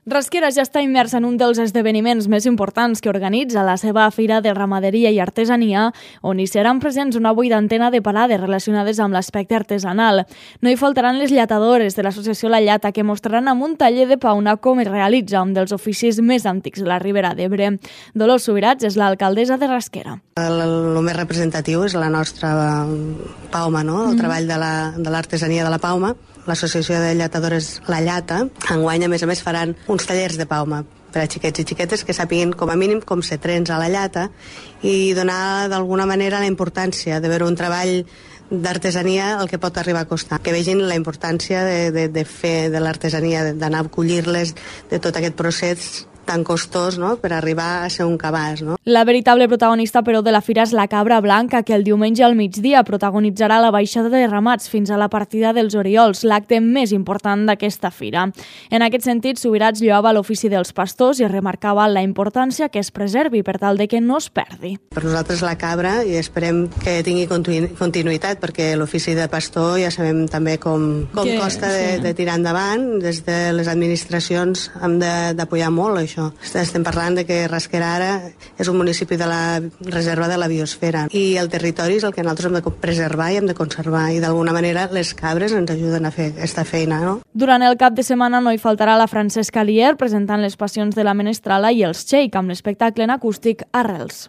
Rasquera ja està immersa en un dels esdeveniments més importants que organitza la seva Fira de Ramaderia i Artesania, on hi seran presents una vuitantena de parades relacionades amb l'aspecte artesanal. No hi faltaran les llatadores de l'associació La Llata, que mostraran amb un taller de pauna com es realitza un dels oficis més antics de la Ribera d'Ebre. Dolors Subirats és l'alcaldessa de Rasquera. El més representatiu és la nostra pauma, no? El treball de l'artesania de la pauma. L'Associació de Llatadores La Llata, enguany, a més, faran uns tallers de pauma per a xiquets i xiquetes que sàpiguin, com a mínim, com se trensa la llata i donar, d'alguna manera, la importància de veure un treball d'artesania el que pot arribar a costar. Que vegin la importància de fer de l'artesania, d'anar a collir-les, de tot aquest procés tan costós, no?, per arribar a ser un cabàs, no? La veritable protagonista, però, de la fira és la cabra blanca, que el diumenge al migdia protagonitzarà la baixada de ramats fins a la partida dels Oriols, l'acte més important d'aquesta fira. En aquest sentit, Subirats lloava l'ofici dels pastors i remarcava la importància que es preservi per tal de que no es perdi. Per nosaltres la cabra, i esperem que tingui continuïtat, perquè l'ofici de pastor ja sabem també com costa de tirar endavant. Des de les administracions hem d'apoyar molt això. Estem parlant de que Rasquera ara és un municipi de la reserva de la biosfera i el territori és el que nosaltres hem de preservar i hem de conservar, i d'alguna manera les cabres ens ajuden a fer aquesta feina, no? Durant el cap de setmana no hi faltarà la Francesca Lier presentant les passions de la Menestrala i els Shake amb l'espectacle en acústic Arrels.